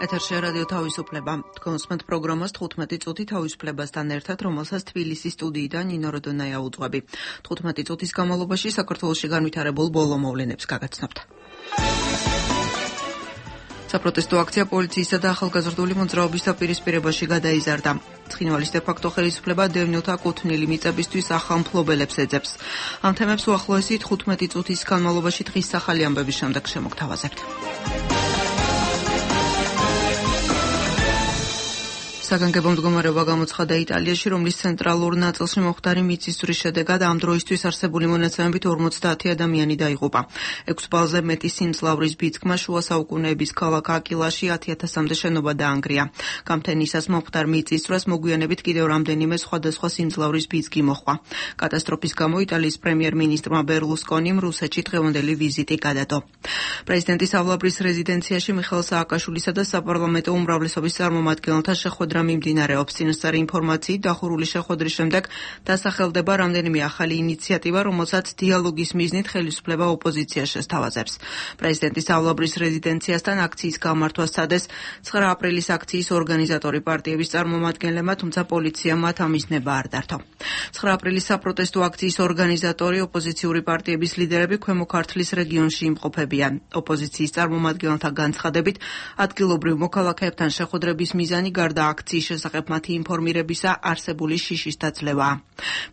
ეთერში რადიო თავისუფლება. კონსმენტ პროგრამას 15 წუთი თავისუფლებასთან ერთად, რომელსაც თბილისის სტუდიიდან ნინო როდონაია უძღვები. 15 წუთის განმავლობაში საქართველოში განვითარებულ ბოლო მოვლენებს გაგაცნობთ. საპროტესტო აქცია პოლიციისა და ახალგაზრდული მოძრაობის დაპირისპირებაში გადაიზარდა. ცხინვალის დე-ფაქტო ხელისუფლება დევნილთა კუთვნილი მიწებისთვის ახალ მფლობელებს ეძებს. ამ თემებს უახლოესი 15 წუთის განმავლობაში დღის ახალი ამბების შემდეგ შემოგთავაზებთ. საგანგებო მდგომარეობა გამოცხადა იტალიაში, რომლის ცენტრალურ ნაწილში მომხდარი მიწისძვრის შედეგად ამ დროისთვის არსებული მონაცემებით 50 ადამიანი დაიღუპა. 6 ბალზე მეტი სიმძლავრის ბიძგმა შუა საუკუნეების ქალაქ აკილაში 10,000-მდე შენობა დაანგრია. გამთენისას მომხდარ მიწისძვრას მოგვიანებით კიდევ რამდენიმე სხვადასხვა სიმძლავრის ბიძგი მოჰყვა. კატასტროფის გამო იტალიის პრემიერ-მინისტრმა ბერლუსკონიმ რუსეთში დღევანდელი ვიზიტი გადადო. პრეზიდენტის ავლაბრის რეზიდენციაში მიხეილ სააკაშვილისა და საპარლამენტო უმრავლესობის წარმომადგენელთა შეხვედრა მიმდინარეობს. წინასწარი ინფორმაციით, დახურული შეხვედრის შემდეგ დასახელდება რამდენიმე ახალი ინიციატივა, რომელსაც დიალოგის მიზნით ხელისუფლება ოპოზიციას შესთავაზებს. პრეზიდენტის ავლაბრის რეზიდენციასთან აქციის გამართვას სცადეს 9 აპრილის აქციის ორგანიზატორი პარტიების წარმომადგენლებმა, თუმცა პოლიციამ მათ ამის ნება არ დართო. 9 აპრილის საპროტესტო აქციის ორგანიზატორი ოპოზიციური პარტიების ლიდერები ქვემო ქართლის რეგიონში იმყოფებიან. ოპოზიციის წარმომადგენელთა განცხადებით, ადგილობრივ მოქალაქეებთან შეხვედრების მიზანი გარდა აქციის შესახებ მათი ინფორმირებისა არსებული შიშის დაძლევაა.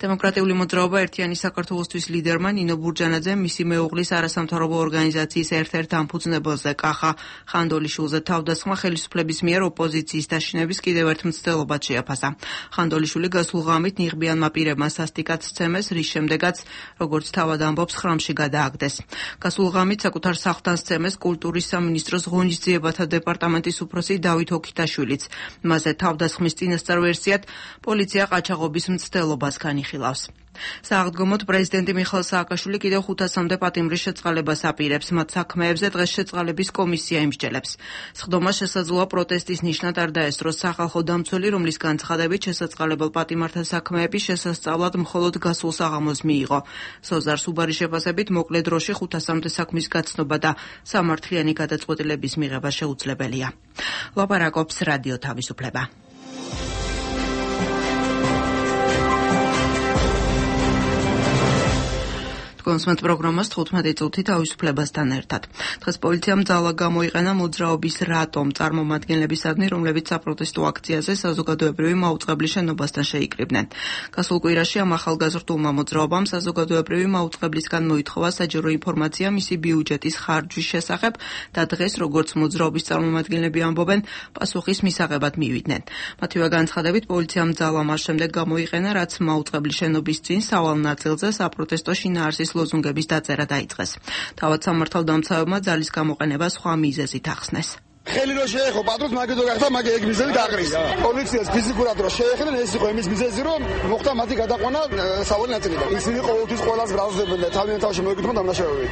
დემოკრატიული მოძრაობა ერთიანი საქართველოსთვის ლიდერმა ნინო ბურჯანაძემ მისი მეუღლის არასამთავრობო ორგანიზაციის ერთ-ერთ დამფუძნებელზე კახა ხანდოლიშვილზე თავდასხმა ხელისუფლების მიერ ოპოზიციის დაშინების კიდევ ერთ მცდელობად შეაფასა. ხანდოლიშვილი გასულ ღამით ნიღბიანმა პირებმა სასტიკად სცემეს, რის შემდეგაც, როგორც თავად ამბობს, ხრამში გადააგდეს. გასულ ღამით საკუთარ სახლთან სცემეს კულტურის სამინისტროს ღონისძიებათა დეპარტამენტის უფროსი დავით ოქიტაშვილიც. მასზე თავდასხმის წინასწარ ვერსიად პოლიცია ყაჩაღობის მცდელობას განიხილავს. სააღდგომოდ პრეზიდენტი მიხეილ სააკაშვილი კიდევ 500-მდე პატიმრის შეწყალებას აპირებს. მათ საქმეებზე დღეს შეწყალების კომისია იმსჯელებს. სხდომა შესაძლოა პროტესტის ნიშნად არ დაესწროს. სახალხო დამცველი, რომლის განცხადებით შესაწყალებელ პატიმართა საქმეები შესასწავლად მხოლოდ გასულ საღამოს მიიღო. სოზარ სუბარის შეფასებით მოკლე დროში 500-მდე საქმის გაცნობა და სამართლიანი გადაწყვეტილების მიღება შეუძლებელია. ლაპარაკობს რადიო თავისუფლება. კონსმენტ პროგრამას 15 წუთი თავისუფლებასთან ერთად. დღეს პოლიციამ ძალა გამოიყენა მოძრაობის რატომ წარმომადგენლებისადმი, რომლებიც საპროტესტო აქციაზე საზოგადოებრივი მაუწყებლის შენობასთან შეიკრიბნენ. გასულ კვირაში ამ ახალგაზრდულმა მოძრაობამ საზოგადოებრივი მაუწყებლისგან მოითხოვა საჯარო ინფორმაცია მისი ბიუჯეტის ხარჯვის შესახებ და დღეს, როგორც მოძრაობის წარმომადგენლები ამბობენ, პასუხის მისაღებად მივიდნენ. მათივე განცხადებით, პოლიციამ ძალა მას შემდეგ გამოიყენა, რაც მაუწყებლის შენობის წინ სავალ ნაწილზე საპროტესტო შინაარსის ლოზუნგების დაწერა დაიწყეს. თავად სამართალდამცავებმა ძალის გამოყენება სხვა მიზეზით ახსნეს. ხელი რო შეეხო პატრონს მაგედო გახდა, მაგე ეგ მიზეზი დაყრის. პოლიციას ფიზიკურად რო შეეხდნენ, ეს იყო იმის მიზეზი, რომ მოხდა მათი გადაყვანა სავალი ნაწილიდან. ისინი ყოველთვის ყველას გრაზდებენ და თავიანთ თავში მოეკუთვნებოდა დამნაშავეები.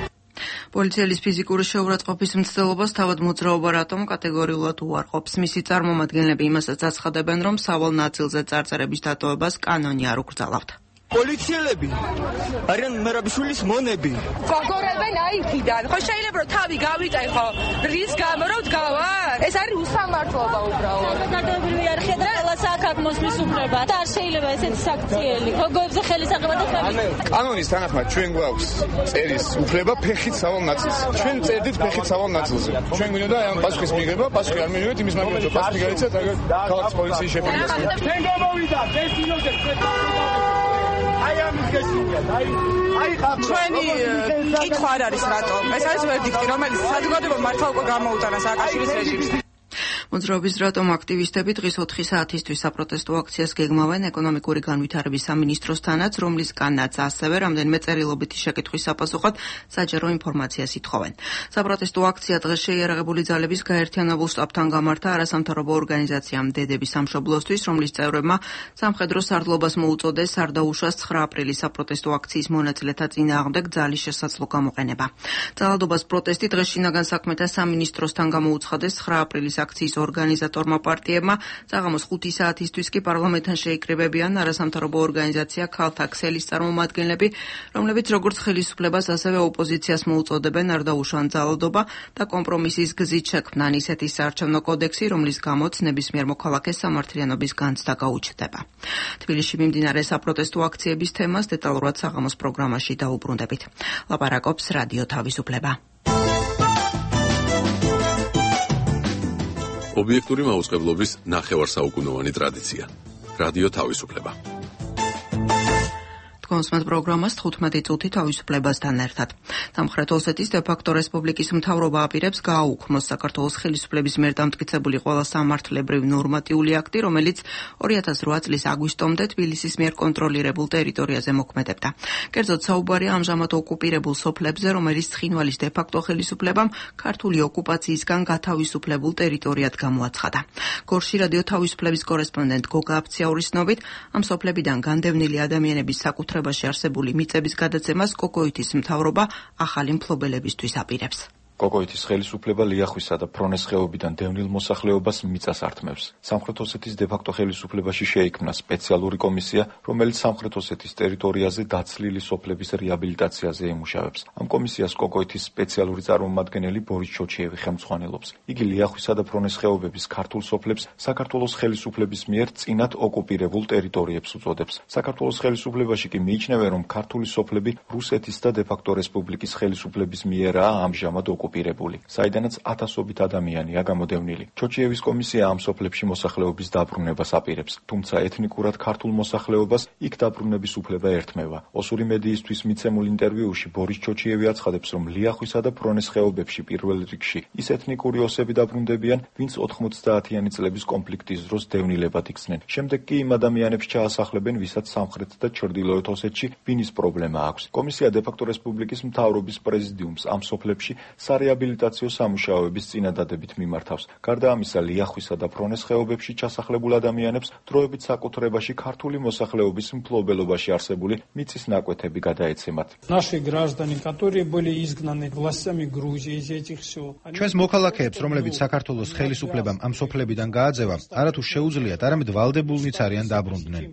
პოლიციელის ფიზიკური შეურაცხყოფის მცდელობას თავად მოძრაობა რატომ კატეგორიულად უარყოფს. მისი წარმომადგენლები იმასაც აცხადებენ, რომ სავალ ნაწილზე წარწერების დატოვებას კანონი არ უკრძალავთ. პოლიციელები არიან მერაბიშვილის მონები. გოგორებენ აიქიდან. ხო შეიძლება რომ თავი გავიწай ხო? რის გამო რომ დგავარ? ეს არის უსამართლობა უბრალოდ. საზოგადოებრივი არხია და ყველას აქვს მოსვლის უფლება. და არ შეიძლება ესეთი საქციელი. გოგოებზე ხელისაღება და ხელი. კანონის თანახმად ჩვენ გვაქვს წერის უფლება ფეხით სავალ ნაწილს. ჩვენ წერდით ფეხით სავალ ნაწილზე. ჩვენ გვინდა ამ პასუხის მიღება, პასუხი არ მივიღეთ იმის მაგალითად, რომ პასუხი გაიცეთ აგერ ქალაქის პოლიციის შეფერილობას. ჩვენ გამოვიდა ეს ინოზე ჩვენი კითხვა არ არის რატომ. ეს არის ვერდიქტი, რომელიც საზოგადოებამ მართლა უკვე გამოუტანა სააკაშვილის რეჟიმს. მოძრაობის რატომ აქტივისტები დღის 4 საათისთვის საპროტესტო აქციას გეგმავენ ეკონომიკური განვითარების სამინისტროსთანაც, რომლისგანაც ასევე რამდენიმე წერილობითი შეკითხვის საპასუხოდ საჯარო ინფორმაციას ითხოვენ. საპროტესტო აქცია დღეს შეიარაღებული ძალების გაერთიანებულ შტაბთან გამართა არასამთავრობო ორგანიზაციამ დედების სამშობლოსთვის, რომლის წევრებმა სამხედრო სარდლობას მოუწოდეს სარდაუშვას 9 აპრილის საპროტესტო აქციის მონაწილეთა წინააღმდეგ ძალის შესაძლო გამოყენება. ძალადობას პროტესტი დღეს შინაგან საქმეთა სამინისტროსთან გამოუცხადეს 9 აპრილის აქციის ორგანიზატორმა პარტიებმა საღამოს 5 საათისთვის კი პარლამენტთან შეიკრიბებიან არასამთავრობო ორგანიზაცია ქალთა ქსელის წარმომადგენლები, რომლებიც როგორც ხელისუფლებას, ასევე ოპოზიციას მოუწოდებენ არ დაუშვან ძალადობა და კომპრომისის გზით შექმნან ისეთი საარჩევნო კოდექსი, რომლის გამოც ნებისმიერ მოქალაქეს სამართლიანობის განცდა გაუჩნდება. თბილისში მიმდინარე საპროტესტო აქციების თემას დეტალურად საღამოს პროგრამაში დაუბრუნდებით. ლაპარაკობს რადიო თავისუფლება. ობიექტური მაუწყებლობის ნახევარსაუკუნოვანი ტრადიცია. რადიო თავისუფლება. კონსმეთ პროგრამას 15 წუთი თავისუფლებასთან ერთად. სამხრეთ ოსეთის დე-ფაქტო რესპუბლიკის მთავრობა აპირებს გააუქმოს საქართველოს ხელისუფლების მიერ დამტკიცებული ყველა სამართლებრივი ნორმატიული აქტი, რომელიც 2008 წლის აგვისტომდე თბილისის მიერ კონტროლირებულ ტერიტორიაზე მოქმედებდა. კერძოდ საუბარია ამჟამად ოკუპირებულ სოფლებზე, რომელიც ცხინვალის დე-ფაქტო ხელისუფლებამ ქართული ოკუპაციისგან გათავისუფლებულ ტერიტორიად გამოაცხადა. გორში რადიო თავისუფლების კორესპონდენტ გოგა აფციაურის ცნობით, ამ სოფლებიდან განდევნილი ადამიანების საკუთრებაში არსებული მიწების გადაცემას კოკოითის მთავრობა ახალი მფლობელებისთვის აპირებს. კოკოითის ხელისუფლება ლიახვისა და ფრონეს ხეობიდან დევნილ მოსახლეობას მიწას ართმევს. სამხრეთ ოსეთის დე-ფაქტო ხელისუფლებაში შეიქმნა სპეციალური კომისია, რომელიც სამხრეთ ოსეთის ტერიტორიაზე დაცლილი სოფლების რეაბილიტაციაზე ემუშავებს. ამ კომისიას კოკოითის სპეციალური წარმომადგენელი ბორის ჩოჩიევი ხელმძღვანელობს. იგი ლიახვისა და ფრონეს ხეობების ქართულ სოფლებს საქართველოს ხელისუფლების მიერ წინათ ოკუპირებულ ტერიტორიებს უწოდებს. საქართველოს ხელისუფლებაში კი მიიჩნევენ, რომ ქართული სოფლები რუსეთის და დე-ფაქტო რესპუბლიკის ხელისუფლების მიერაა ამჟამად საიდანაც ათასობით ადამიანია გამოდევნილი. ჩოჩიევის კომისია ამ სოფლებში მოსახლეობის დაბრუნებას აპირებს, თუმცა ეთნიკურად ქართულ მოსახლეობას იქ დაბრუნების უფლება ერთმევა. ოსური მედიისთვის მიცემულ ინტერვიუში ბორის ჩოჩიევი აცხადებს, რომ ლიახვისა და ფრონეს ხეობებში პირველ რიგში ის ეთნიკური ოსები დაბრუნდებიან, ვინც 90-იანი წლების კონფლიქტის დროს დევნილებად იქცნენ. შემდეგ კი იმ ადამიანებს ჩაასახლებენ, ვისაც სამხრეთ და ჩრდილოეთ ოსეთში ვინის პრობლემა აქვს. კომისია დე-ფაქტო რესპუბლიკის მთავრობის პრეზიდიუმს ამ სოფლებში სარეაბილიტაციო სამუშაოების წინადადებით მიმართავს. გარდა ამისა, ლიახვისა და ფრონეს ხეობებში ჩასახლებულ ადამიანებს დროებით საკუთრებაში ქართული მოსახლეობის მფლობელობაში არსებული მიწის ნაკვეთები გადაეცემათ. ჩვენს მოქალაქეებს, რომლებიც საქართველოს ხელისუფლებამ ამ სოფლებიდან გააძევა, არათუ შეუძლიათ, არამედ ვალდებულნიც არიან დაბრუნდნენ.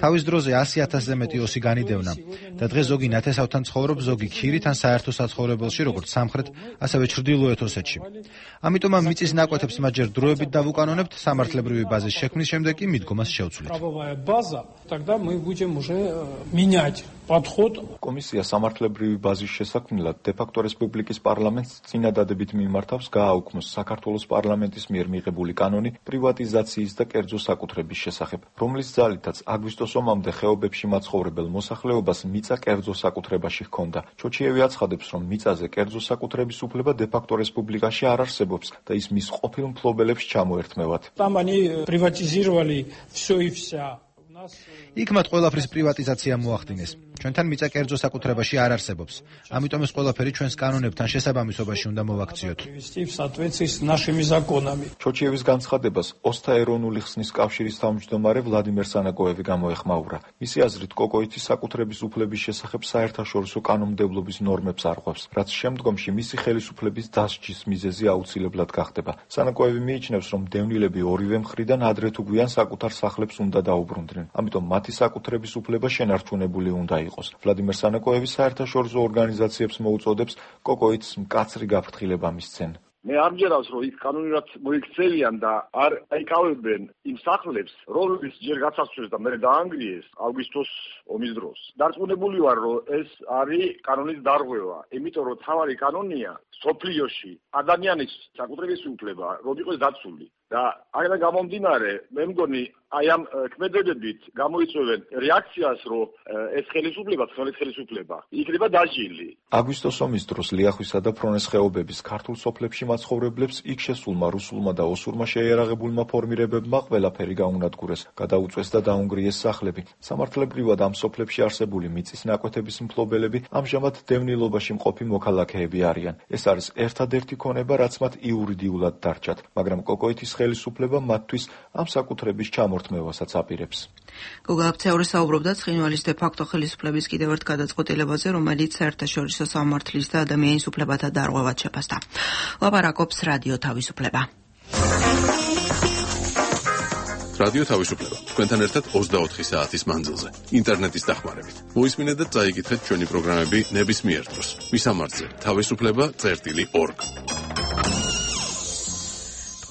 თავის დროზე 100,000-ზე მეტი ოსი განიდევნა და დღეს ზოგი ნათესავთან ცხოვრობს, ზოგი ქირით ან საერთო საცხოვრებელში, როგორც სამხრეთ ასევე ჩრდილოეთ ოსეთში. ამიტომ ამ მიწის ნაკვეთებს მაჯერ დროებით დავუკანონებთ, სამართლებრივი ბაზის შექმნის შემდეგ კი მიდგომას შევცვლით. კომისია სამართლებრივი ბაზის შესაქმნელად დე-ფაქტო რესპუბლიკის პარლამენტს წინადადებით მიმართავს გააუქმოს საქართველოს პარლამენტის მიერ მიღებული კანონი პრივატიზაციის და კერძო საკუთრების შესახებ, რომლის ძალითაც აგვისტოს ომამდე ხეობებში მაცხოვრებელ მოსახლეობას მიწა კერძო საკუთრებაში ჰქონდა. ჩოჩიევი აცხადებს, რომ მიწაზე კერძო საკუთრების უფლება დე-ფაქტო რესპუბლიკაში არ არსებობს და ის მის ყოფილ მფლობელებს ჩამოერთმევათ. იქ მათ ყველაფრის პრივატიზაცია მოახდინეს. ჩვენთან მიწა კერძო საკუთრებაში არ არსებობს. ამიტომ ეს ყველაფერი ჩვენს კანონებთან შესაბამისობაში უნდა მოვაქციოთ. ჩოჩიევის განცხადებას ოსთა ეროვნული ხსნის კავშირის თავმჯდომარე ვლადიმერ სანაკოევი გამოეხმაურა. მისი აზრით, კოკოითის საკუთრების უფლების შესახებ საერთაშორისო კანონმდებლობის ნორმებს არღვევს, რაც შემდგომში მისი ხელისუფლების დასჯის მიზეზი აუცილებლად გახდება. სანაკოევი მიიჩნევს, რომ დევნილები ორივე მხრიდან ადრე თუ გვიან საკუთარ სახლებს უნდა დაუბრუნდნენ. ამიტომ მათი საკუთრების უფლება შენარჩუნებული უნდა იყოს. ვლადიმერ სანაკოევი საერთაშორისო ორგანიზაციებს მოუწოდებს კოკოითს მკაცრი გაფრთხილება მისცენ. მე არ მჯერავს, რომ ის კანონურად მოიქცევიან და არ აიკავებენ იმ სახლებს, რომლებიც ჯერ გაცაცვლეს და მერე დაანგრიეს აგვისტოს ომის დროს. დარწმუნებული ვარ, რომ ეს არის კანონის დარღვევა, იმიტომ რომ თავარი კანონია სოფლიოში ადამიანის საკუთრების უფლება, რომ იყოს დაცული. და აქედან გამომდინარე, მე მგონი აი ამ ქმედებებით გამოიწვევენ რეაქციას, რომ ეს ხელისუფლება, ცხელის ხელისუფლება იქნება დაჟილი. აგვისტოს ომის დროს ლიახვისა და ფრონეს ხეობების ქართულ სოფლებში მაცხოვრებლებს იქ შესულმა რუსულმა და ოსურმა შეიარაღებულმა ფორმირებებმა ყველაფერი გაუნადგურეს, გადაუწვეს და დაუნგრიეს სახლები. სამართლებრივად ამ სოფლებში არსებული მიწის ნაკვეთების მფლობელები ამჟამად დევნილობაში მყოფი მოქალაქეები არიან. ეს არის ერთადერთი ქონება, რაც მათ იურიდიულად დარჩათ, მაგრამ კოკოითის ხელისუფლება მათთვის ამ საკუთრების ჩამორთმევასაც აპირებს. გოგა აფციაური საუბრობდა ცხინვალის დე-ფაქტო ხელისუფლების კიდევ ერთ გადაწყვეტილებაზე, რომელიც საერთაშორისო სამართლის და ადამიანის უფლებათა დარღვევად შეფასდა. ლაპარაკობს რადიო თავისუფლება. რადიო თავისუფლება. თქვენთან ერთად 24 საათის მანძილზე. ინტერნეტის დახმარებით. მოისმინეთ და წაიკითხეთ ჩვენი პროგრამები ნებისმიერ დროს. მისამართზე თავისუფლება.org.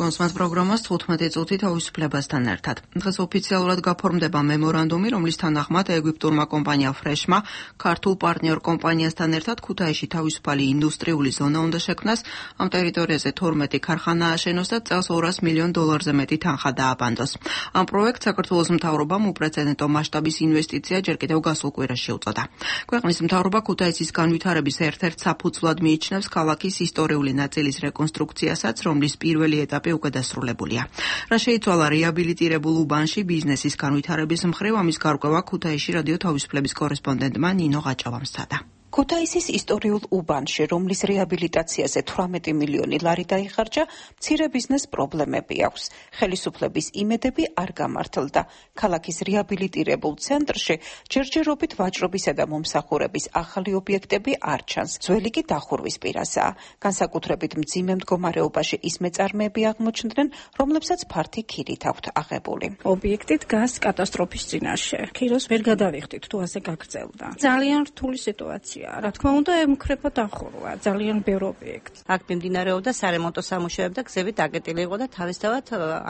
კონსმას პროგრამას 15 წუთი თავისუფლებასთან ერთად. დღეს ოფიციალურად გაფორმდება მემორანდუმი, რომლის თანახმად ეგვიპტურმა კომპანია ფრეშმა ქართულ პარტნიორ კომპანიასთან ერთად ქუთაისში თავისუფალი ინდუსტრიული ზონა უნდა შექმნას. ამ ტერიტორიაზე 12 ქარხანა აშენოს და წელს $200 მილიონ მეტი თანხა დააბანდოს. ამ პროექტს საქართველოს მთავრობამ უპრეცედენტო მასშტაბის ინვესტიცია ჯერ კიდევ გასულ კვირაში უწოდა. ქვეყნის მთავრობა ქუთაისის განვითარების ერთ-ერთ საფუძვლად მიიჩნევს ქალაქის ისტორიული ნაწილის რეკონსტრუქციასაც, რომლის პირველი ეტაპი უკვე დასრულებულია. რა შეიცვალა რეაბილიტირებულ უბანში ბიზნესის განვითარების მხრივ, ამის გარკვევა ქუთაისში რადიო თავისუფლების კორესპონდენტმა ნინო ღაჭავამ სცადა. ქუთაისის ისტორიულ უბანში, რომლის რეაბილიტაციაზე 18 მილიონი ლარი დაიხარჯა, მცირე ბიზნეს პრობლემები აქვს. ხელისუფლების იმედები არ გამართლდა. ქალაქის რეაბილიტირებულ ცენტრში ჯერჯერობით ვაჭრობისა და მომსახურების ახალი ობიექტები არ ჩანს. ძველი კი დახურვის პირასაა. განსაკუთრებით მძიმე მდგომარეობაში ის მეწარმეები აღმოჩნდნენ, რომლებსაც ფართი ქირით აქვთ აღებული. ობიექტი დგას კატასტროფის წინაშე. ქიროს ვერ გადავიხდით, თუ ასე გაგრძელდა. ძალიან რთული სიტუაცია. რა თქმა უნდა, ემუქრება დახურვა, ძალიან ბევრ ობიექტს. აქ მიმდინარეობდა სარემონტო სამუშაოები და გზები დაკეტილი იყო და თავისთავად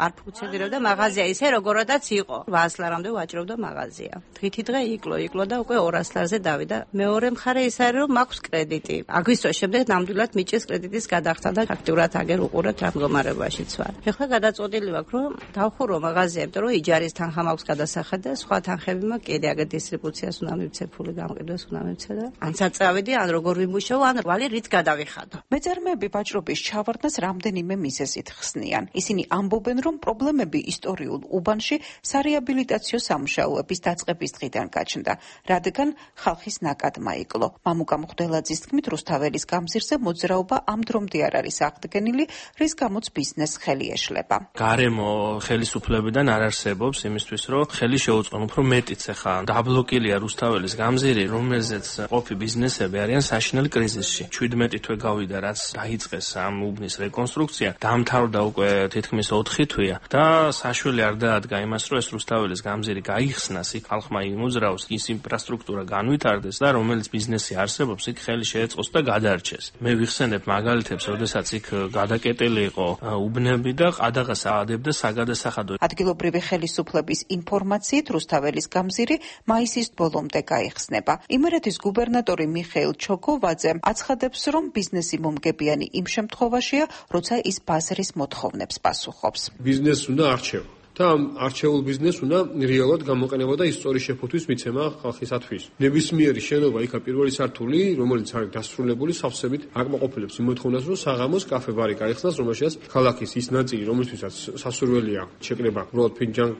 არ ფუნქციონირებდა მაღაზია ისე, როგორადაც იყო. 100 ლარამდე ვაჭრობდა მაღაზია. დღითი დღე იკლო და უკვე 200 ლარზე დავიდა. მეორე მხარე ის არის, რომ მაქვს კრედიტი. აგვისტოს შემდეგ ნამდვილად მიჭის კრედიტის გადახდა და ფაქტურად აგერ უყურებთ რა მდგომარეობაშიც ვარ. ეხლა გადაწყვეტილი ვაქვს, რომ დავხურო მაღაზია, იმიტომ რომ იჯარის თანხა მაქვს გადასახად და სხვა თანხები მაქვს კიდე აგერ დისტრიბუციას უნდა მივცე, ფული გამყიდვას უნდა მივცე და საწავედი ან როგორ ვიმუშაო ან ვალი რით გადავიხადო. მეწარმეები ვაჭრობის ჩავარდნას რამდენიმე მიზეზით ხსნიან. ისინი ამბობენ, რომ პრობლემები ისტორიულ უბანში სარეაბილიტაციო სამუშაოების დაწყების დღიდან გაჩნდა, რადგან ხალხის ნაკადმა იკლო. მამუკა მღვდელაძის თქმით, რუსთაველის გამზირზე მოძრაობა ამ დრომდე არ არის აღდგენილი, რის გამოც ბიზნესს ხელი ეშლება. გარემო ხელისუფლებიდან არ არსებობს იმისთვის, რომ ხელი შეუწყონ უფრო მეტიც ახლა დაბლოკილია რუსთაველის გამზირი, რომელზეც ყოფი ბიზნესები არიან საშინელ კრიზისში. 17 თვე გავიდა, რაც დაიწყეს ამ უბნის რეკონსტრუქცია, დამთავრდა უკვე თითქმის 4 თვეა და საშველი არ დაადგა იმას, რომ ეს რუსთაველის გამზირი გაიხსნას, იქ ხალხმა იმოძრაოს, ის ინფრასტრუქტურა განვითარდეს და რომელიც ბიზნესი არსებობს, იქ ხელი შეეწყოს და გადარჩეს. მე ვიხსენებ მაგალითებს, როდესაც იქ გადაკეტილი იყო უბნები და ყადაღას აადებდა საგადასახადო. ადგილობრივი ხელისუფლების ინფორმაციით, რუსთაველის გამზირი მაისის ბოლომდე გაიხსნება. იმერეთის გუბერნატორი მიხეილ ჩოკოვაძე აცხადებს, რომ ბიზნესი მომგებიანი იმ შემთხვევაშია, როცა ის ბაზრის მოთხოვნებს პასუხობს. ბიზნესს უნდა არჩევა და ამ არჩეულ ბიზნესს უნდა რეალურად გამოყენება და ისტორიის შეფუთვის მიცემა ხალხისათვის. ნებისმიერი შენობა იქა პირველი სართული, რომელიც არის დასრულებული, სავსებით აკმაყოფილებს იმ მოთხოვნას, რომ საღამოს კაფე ბარი გაიხსნას, რომელშიც ქალაქის ის ნაწილი, რომლისთვისაც სასურველია შეკრება უბრალოდ ფინჯან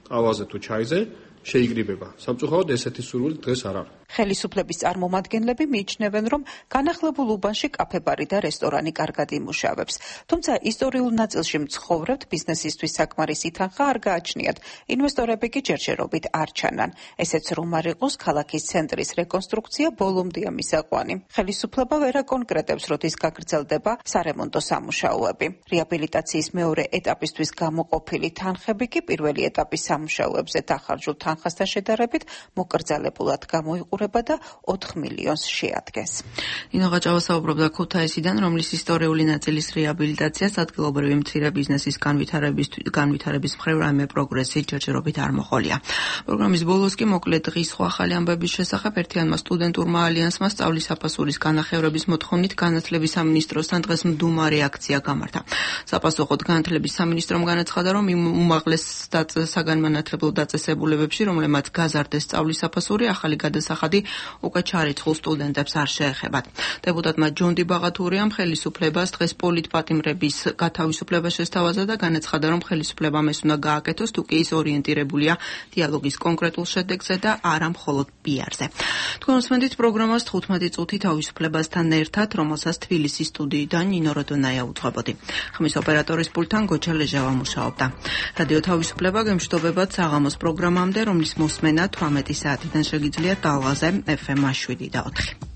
ყავაზე თუ ჩაიზე, შეიკრიბება. სამწუხაროდ ესეთი სურვილი დღეს არ არის. ხელისუფლების წარმომადგენლები მიიჩნევენ, რომ განახლებულ უბანში კაფე-ბარი და რესტორანი კარგად იმუშავებს. თუმცა ისტორიულ ნაწილში მცხოვრებთ ბიზნესისთვის საკმარისი თანხა არ გააჩნიათ. ინვესტორები კი ჯერჯერობით არ ჩანან. ესეც რომ არ იყოს, ქალაქის ცენტრის რეკონსტრუქცია ბოლომდეა მისაყვანი. ხელისუფლება ვერ აკონკრეტებს, როდის გაგრძელდება სარემონტო სამუშაოები. რეაბილიტაციის მეორე ეტაპისთვის გამოყოფილი თანხები კი პირველი ეტაპის სამუშაოებზე დახარჯულ თანხასთან შედარებით მოკრძალებულად გამოიყურება და 4 მილიონს შეადგენს. ნინო ღაჭავა საუბრობდა ქუთაისიდან, რომლის ისტორიული ნაწილის რეაბილიტაციას ადგილობრივი მცირე ბიზნესის განვითარების მხრივ რაიმე პროგრესი ჯერჯერობით არ მოყოლია. პროგრამის ბოლოს კი მოკლედ დღის სხვა ახალი ამბების შესახებ ერთიანმა სტუდენტურმა ალიანსმა სწავლის საფასურის განახევრების მოთხოვნით განათლების სამინისტროსთან დღეს მდუმარე აქცია გამართა. საფასუხოდ განათლების სამინისტრომ განაცხადა, რომ იმ უმაღლეს საგანმანათლებლო დაწესებულებებში, რომლებმაც გაზარდეს სწავლის საფასური, ახალი გადასახადი უკვე ჩარიცხულ სტუდენტებს არ შეეხებათ. დეპუტატმა ჯონდი ბაღათურიამ ხელისუფლებას დღეს პოლიტპატიმრების გათავისუფლება შესთავაზა და განაცხადა, რომ ხელისუფლებამ ეს უნდა გააკეთოს, თუ კი ის ორიენტირებულია დიალოგის კონკრეტულ შედეგზე და არა მხოლოდ პიარზე. თქვენ უსმენთ პროგრამას 15 წუთი თავისუფლებასთან ერთად, რომელსაც თბილისის სტუდიიდან ნინო როდონაია უძღვებოდი. ხმის ოპერატორის პულტთან გოჩა ლეჟავა მუშაობდა. რადიო თავისუფლება გემშვიდობებათ საღამოს პროგრამამდე, რომლის მოსმენა 18 საათიდან შეგიძლიათ დალღაზე FM 7 და 4.